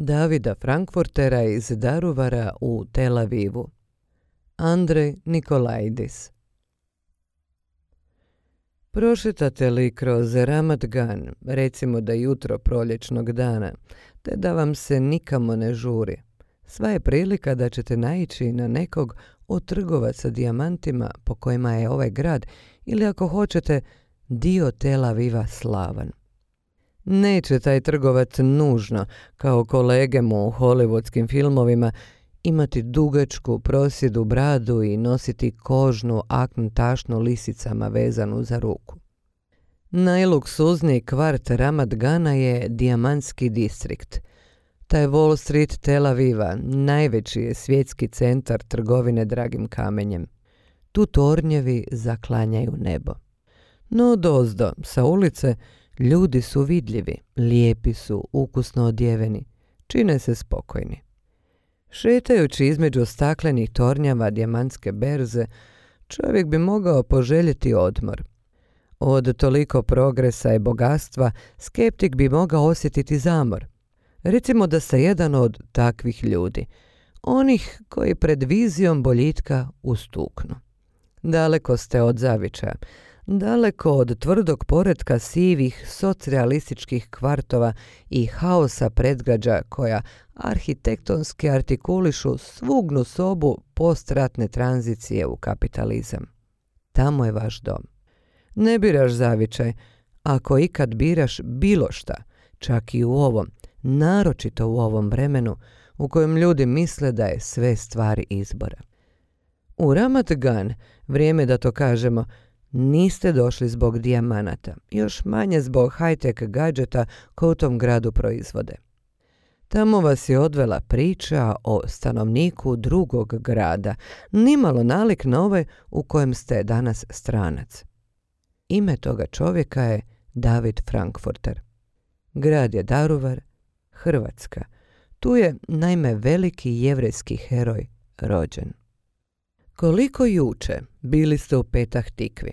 Davida Frankfurtera iz Daruvara u Tel Avivu. Andrej Nikolaidis. Prošetate li kroz Ramat Gan, recimo da jutro proljećnog dana, te da vam se nikamo ne žuri, sva je prilika da ćete naići na nekog od trgovaca dijamantima po kojima je ovaj grad, ili ako hoćete, dio Tel Aviva slavan. Neće taj trgovac nužno, kao kolege mu u hollywoodskim filmovima, imati dugačku prosjedu bradu i nositi kožnu akn tašnu lisicama vezanu za ruku. Najluksuzniji kvart Ramat Gana je dijamantski distrikt. Taj Wall Street Tel Aviva najveći je svjetski centar trgovine dragim kamenjem. Tu tornjevi zaklanjaju nebo. No dozdo, sa ulice, ljudi su vidljivi, lijepi su, ukusno odjeveni, čine se spokojni. Šetajući između staklenih tornjava dijamantske berze, čovjek bi mogao poželjeti odmor. Od toliko progresa i bogatstva skeptik bi mogao osjetiti zamor. Recimo da ste jedan od takvih ljudi, onih koji pred vizijom boljitka ustuknu. Daleko ste od zavičaja, daleko od tvrdog poretka sivih socrealističkih kvartova i haosa predgrađa koja arhitektonski artikulišu svugnu sobu postratne tranzicije u kapitalizam. Tamo je vaš dom. Ne biraš zavičaj, ako ikad biraš bilo šta, čak i u ovom, naročito u ovom vremenu u kojem ljudi misle da je sve stvar izbora. U Ramat Gan, vrijeme da to kažemo, niste došli zbog dijamanata, još manje zbog high-tech gadžeta koje u tom gradu proizvode. Tamo vas je odvela priča o stanovniku drugog grada, nimalo nalik na ovaj u kojem ste danas stranac. Ime toga čovjeka je David Frankfurter. Grad je Daruvar, Hrvatska. Tu je naime veliki jevrejski heroj rođen. Koliko juče bili ste u Petah Tikvi.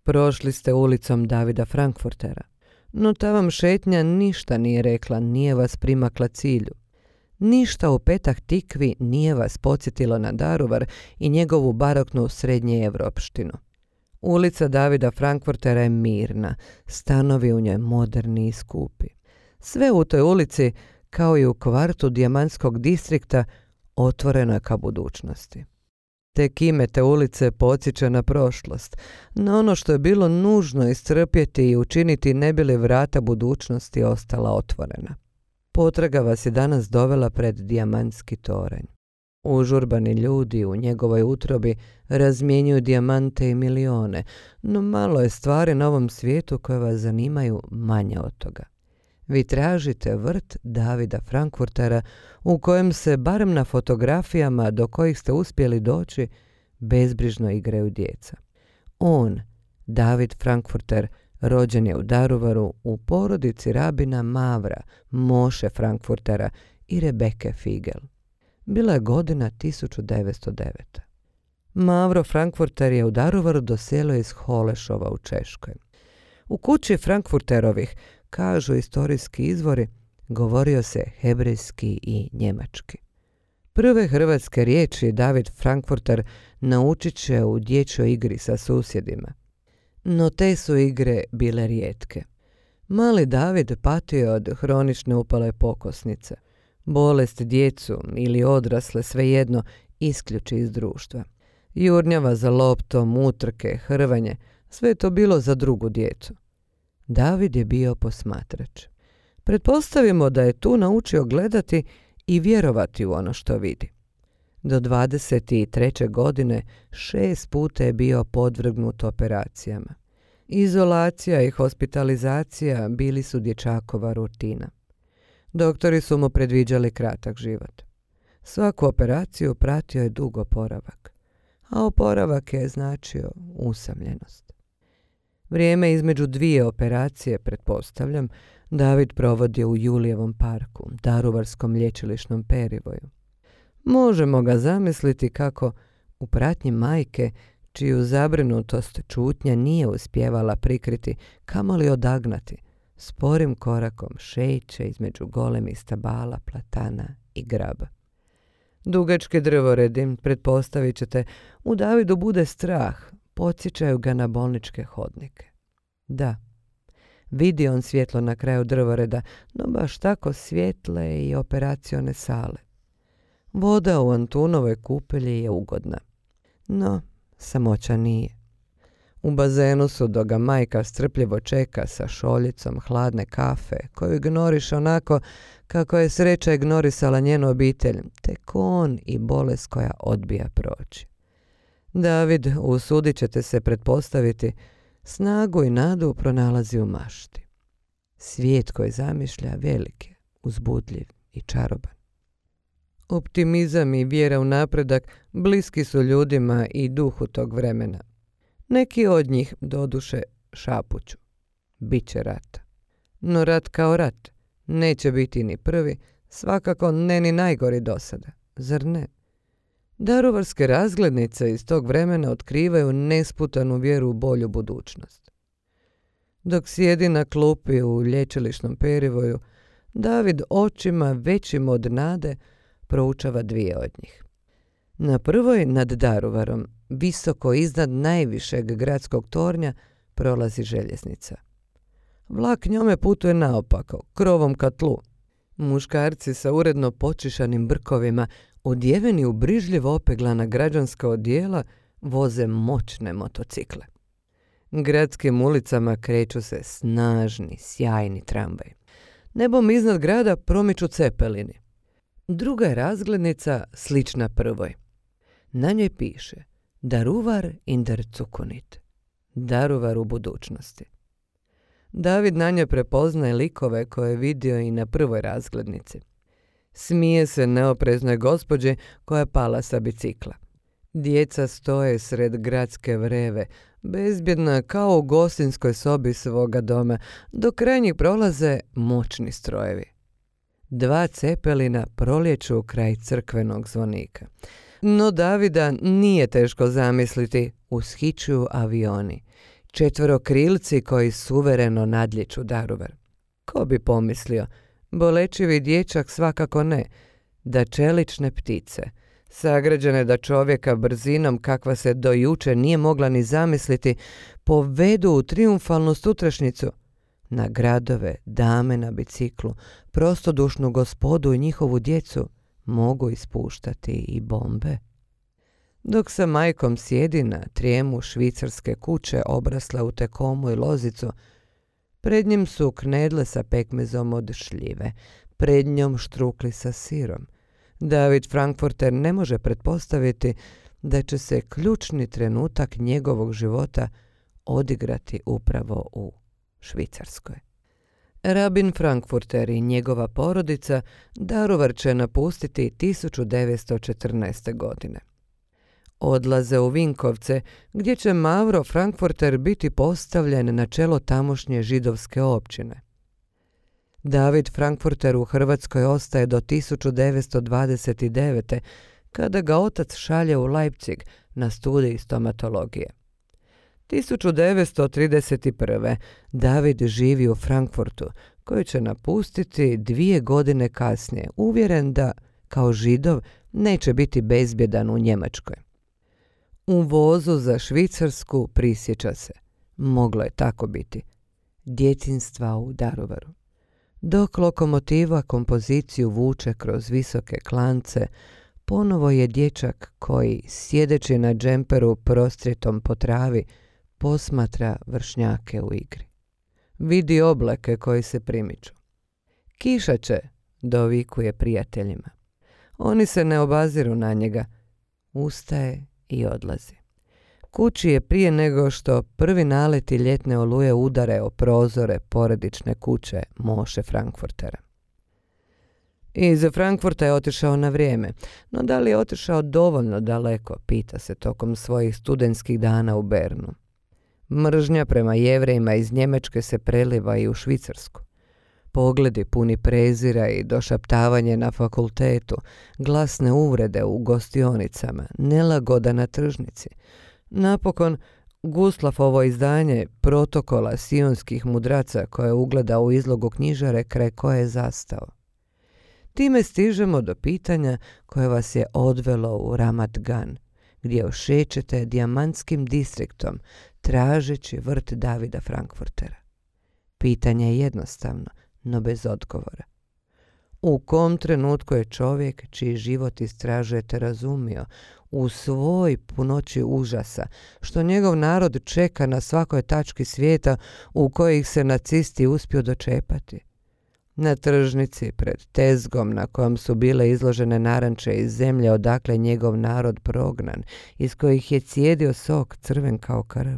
Prošli ste ulicom Davida Frankfurtera, no ta vam šetnja ništa nije rekla, nije vas primakla cilju. Ništa u Petah Tikvi nije vas podsjetilo na Daruvar i njegovu baroknu srednjeevropštinu. Ulica Davida Frankfurtera je mirna, stanovi u njoj moderni i skupi. Sve u toj ulici, kao i u kvartu dijamantskog distrikta, otvoreno je ka budućnosti. Tek ime te ulice podsjeća na prošlost, na ono što je bilo nužno istrpjeti i učiniti ne bi li vrata budućnosti ostala otvorena. Potraga vas je danas dovela pred dijamantski toranj. Užurbani ljudi u njegovoj utrobi razmjenjuju dijamante i milione, no malo je stvari na ovom svijetu koje vas zanimaju manje od toga. Vi tražite vrt Davida Frankfurtera u kojem se, barem na fotografijama do kojih ste uspjeli doći, bezbrižno igraju djeca. On, David Frankfurter, rođen je u Daruvaru u porodici rabina Mavra, Moše Frankfurtera i Rebeke Figel. Bila je godina 1909. Mavro Frankfurter je u Daruvaru doselio iz Holešova u Češkoj. U kući Frankfurterovih, kažu istorijski izvori, govorio se hebrejski i njemački. Prve hrvatske riječi David Frankfurter naučit će u dječjoj igri sa susjedima. No te su igre bile rijetke. Mali David patio od hronične upale pokosnice. Bolest djecu ili odrasle svejedno isključi iz društva. Jurnjava za loptom, utrke, hrvanje, sve je to bilo za drugu djecu. David je bio posmatrač. Pretpostavimo da je tu naučio gledati i vjerovati u ono što vidi. Do 23. godine 6 puta je bio podvrgnut operacijama. Izolacija i hospitalizacija bili su dječakova rutina. Doktori su mu predviđali kratak život. Svaku operaciju pratio je dug oporavak, a oporavak je značio usamljenost. Vrijeme između dvije operacije, pretpostavljam, David provodio u Julijevom parku, daruvarskom lječilišnom perivoju. Možemo ga zamisliti kako u pratnji majke, čiju zabrinutost čutnja nije uspjevala prikriti, kamoli odagnati, sporim korakom šeće između golemih stabala, platana i graba. Dugački drvoredi, pretpostavit ćete, u Davidu bude strah, podsjećaju ga na bolničke hodnike. Da, vidi on svjetlo na kraju drvoreda, no baš tako svjetle i operacione sale. Voda u Antunovoj kupelji je ugodna, no samoća nije. U bazenu su, dok ga majka strpljivo čeka sa šoljicom hladne kafe, koju ignoriše onako kako je sreća ignorisala njenu obitelj, tek on i bolest koja odbija proći. David, usudit ćete se pretpostaviti, snagu i nadu pronalazi u mašti. Svijet koji zamišlja velik je, uzbudljiv i čaroban. Optimizam i vjera u napredak bliski su ljudima i duhu tog vremena. Neki od njih, doduše, šapuću. Biće rata. No rat kao rat neće biti ni prvi, svakako ne ni najgori do sada. Zar ne? Daruvarske razglednice iz tog vremena otkrivaju nesputanu vjeru u bolju budućnost. Dok sjedi na klupi u lječilišnom perivoju, David očima većim od nade proučava dvije od njih. Na prvoj nad Daruvarom, visoko iznad najvišeg gradskog tornja, prolazi željeznica. Vlak njome putuje naopako, krovom ka tlu. Muškarci sa uredno počišanim brkovima, odjeveni u brižljivo opeglana građanska odijela, voze moćne motocikle. Gradskim ulicama kreću se snažni, sjajni tramvaj. Nebom iznad grada promiču cepelini. Druga je razglednica slična prvoj. Na njoj piše Daruvar in der Zukunft. Daruvar u budućnosti. David na njoj prepoznaje likove koje je vidio i na prvoj razglednici. Smije se neopreznoj gospođi koja je pala sa bicikla. Djeca stoje sred gradske vreve, bezbjedna kao u gostinskoj sobi svoga doma, dok kraj njih prolaze moćni strojevi. Dva cepelina prolječu kraj crkvenog zvonika. No Davida nije teško zamisliti, ushićuju avioni. Četverokrilci koji suvereno nadlijeću Daruvar. Ko bi pomislio, bolečivi dječak svakako ne, da čelične ptice, sagrađene da čovjeka brzinom kakva se do juče nije mogla ni zamisliti, povedu u triumfalnu sutrašnjicu, na gradove, dame na biciklu, prostodušnu gospodu i njihovu djecu mogu ispuštati i bombe. Dok sa majkom sjedi na trijemu švicarske kuće obrasle u tekomu i lozicu, pred njim su knedle sa pekmezom od šljive, pred njom štrukli sa sirom. David Frankfurter ne može pretpostaviti da će se ključni trenutak njegovog života odigrati upravo u Švicarskoj. Rabin Frankfurter i njegova porodica Daruvar će napustiti 1914. godine. Odlaze u Vinkovce, gdje će Mavro Frankfurter biti postavljen na čelo tamošnje židovske općine. David Frankfurter u Hrvatskoj ostaje do 1929. kada ga otac šalje u Leipzig na studij stomatologije. 1931. David živi u Frankfurtu, koji će napustiti 2 godine kasnije, uvjeren da, kao Židov, neće biti bezbjedan u Njemačkoj. U vozu za Švicarsku prisjeća se, moglo je tako biti, djetinjstva u Daruvaru. Dok lokomotiva kompoziciju vuče kroz visoke klance, ponovo je dječak koji, sjedeći na džemperu prostrijetom po travi, posmatra vršnjake u igri. Vidi oblake koji se primiču. Kiša će, dovikuje prijateljima. Oni se ne obaziru na njega. Ustaje i odlazi. Kući je prije nego što prvi naleti ljetne oluje udare o prozore porodične kuće Moše Frankfurtera. Iz Frankfurta je otišao na vrijeme, no da li je otišao dovoljno daleko, pita se tokom svojih studentskih dana u Bernu. Mržnja prema Jevrejima iz Njemačke se preliva i u Švicarsku. Pogledi puni prezira i došaptavanje na fakultetu, glasne uvrede u gostionicama, nelagoda na tržnici. Napokon, Gustlofovo izdanje Protokola sionskih mudraca koje je ugledao u izlogu knjižare kraj koje je zastao. Time stižemo do pitanja koje vas je odvelo u Ramat Gan, gdje ošećete dijamantskim distriktom tražeći vrt Davida Frankfurtera. Pitanje je jednostavno, no bez odgovora. U kom trenutku je čovjek čiji život istražujete razumio u svoj punoći užasa što njegov narod čeka na svakoj tački svijeta u kojih se nacisti uspiju dočepati? Na tržnici pred tezgom na kojom su bile izložene naranče iz zemlje odakle njegov narod prognan, iz kojih je cijedio sok crven kao krv.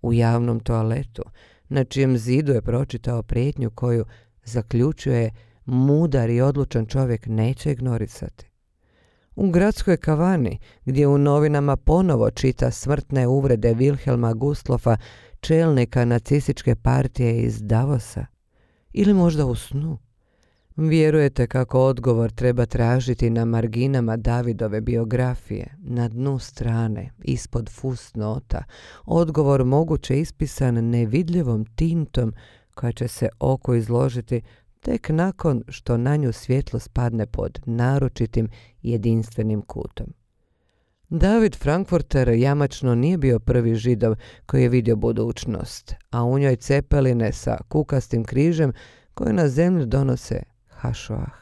U javnom toaletu, na čijem zidu je pročitao prijetnju koju, zaključuje, mudar i odlučan čovjek neće ignorisati. U gradskoj kavani, gdje u novinama ponovo čita smrtne uvrede Wilhelma Gustlofa, čelnika nacističke partije iz Davosa. Ili možda u snu. Vjerujete kako odgovor treba tražiti na marginama Davidove biografije, na dnu strane, ispod fusnota, odgovor moguće ispisan nevidljivom tintom koja će se oko izložiti tek nakon što na nju svjetlo spadne pod naročitim jedinstvenim kutom. David Frankfurter jamačno nije bio prvi Židov koji je vidio budućnost, a u njoj cepeline sa kukastim križem koje na zemlju donose Hašoah.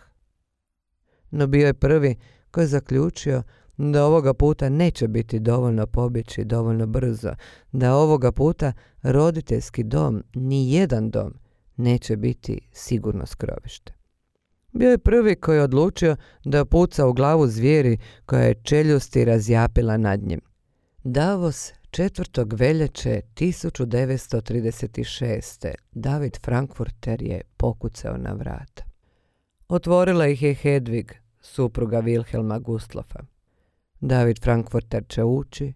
No bio je prvi koji je zaključio da ovoga puta neće biti dovoljno pobjeći dovoljno brzo, da ovoga puta roditeljski dom, ni jedan dom, neće biti sigurno skrovište. Bio je prvi koji je odlučio da puca u glavu zvijeri koja je čeljusti razjapila nad njim. Davos 4. veljače 1936. David Frankfurter je pokucao na vrata. Otvorila ih je Hedvig, supruga Wilhelma Gustlofa. David Frankfurter će ući,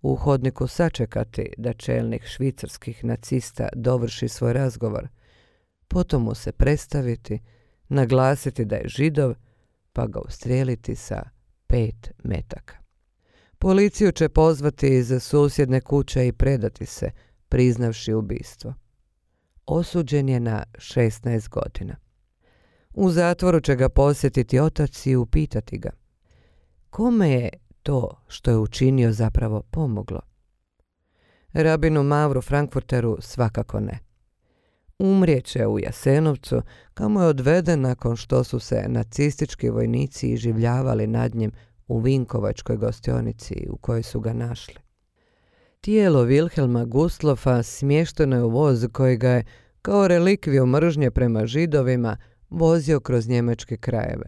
u hodniku sačekati da čelnik švicarskih nacista dovrši svoj razgovor, potom mu se predstaviti, naglasiti da je Židov, pa ga ustrijeliti sa 5 metaka. Policiju će pozvati iz susjedne kuće i predati se, priznavši ubistvo. Osuđen je na 16 godina. U zatvoru će ga posjetiti otac i upitati ga: kome je to što je učinio zapravo pomoglo? Rabinu Mavru Frankfurteru svakako ne. Umrijeće u Jasenovcu, kamo je odveden nakon što su se nacistički vojnici iživljavali nad njim u Vinkovačkoj gostionici u kojoj su ga našli. Tijelo Wilhelma Gustlofa smješteno je u voz koji ga je, kao relikviju mržnje prema Židovima, vozio kroz njemačke krajeve.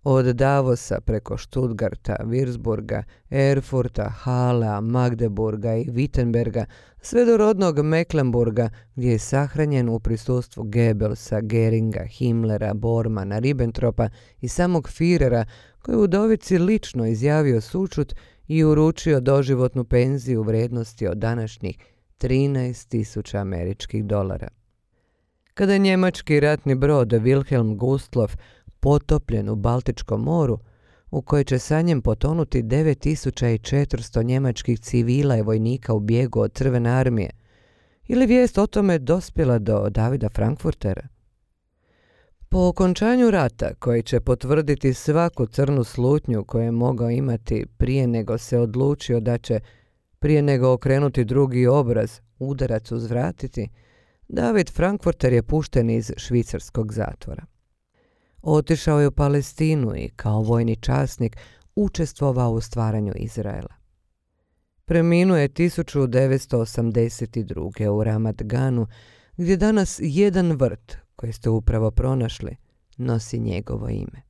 Od Davosa preko Stuttgarta, Würzburga, Erfurta, Halea, Magdeburga i Wittenberga, sve do rodnog Mecklenburga, gdje je sahranjen u prisustvu Goebbelsa, Geringa, Himmlera, Bormana, Ribbentropa i samog Führera, koji u udovici lično izjavio sućut i uručio doživotnu penziju u vrijednosti od današnjih 13.000 američkih dolara. Kada je njemački ratni brod Wilhelm Gustlof potopljen u Baltičkom moru, u kojoj će sa njim potonuti 9.400 njemačkih civila i vojnika u bijegu od Crvene armije, ili vijest o tome dospjela do Davida Frankfurtera? Po okončanju rata, koji će potvrditi svaku crnu slutnju koju je mogao imati prije nego se odlučio da će, prije nego okrenuti drugi obraz, udarac uzvratiti, David Frankfurter je pušten iz švicarskog zatvora. Otišao je u Palestinu i kao vojni časnik učestvovao u stvaranju Izraela. Preminuo je 1982. u Ramat Ganu, gdje danas jedan vrt koji ste upravo pronašli nosi njegovo ime.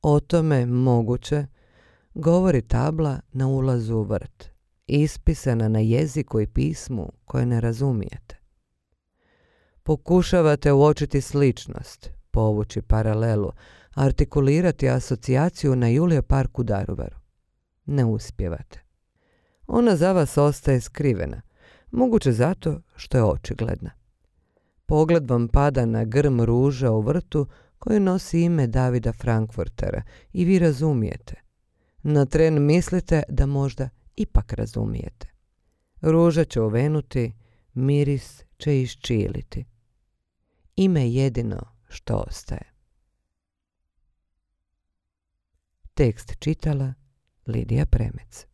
O tome moguće govori tabla na ulazu u vrt, ispisana na jeziku i pismu koje ne razumijete. Pokušavate uočiti sličnost, povući paralelu, artikulirati asocijaciju na Julije park u Daruvaru. Ne uspijevate. Ona za vas ostaje skrivena, moguće zato što je očigledna. Pogled vam pada na grm ruža u vrtu koji nosi ime Davida Frankfurtera i vi razumijete. Na tren mislite da možda ipak razumijete. Ruža će uvenuti, miris će iščiliti. Ime jedino što ostaje. Tekst čitala Lidija Premec.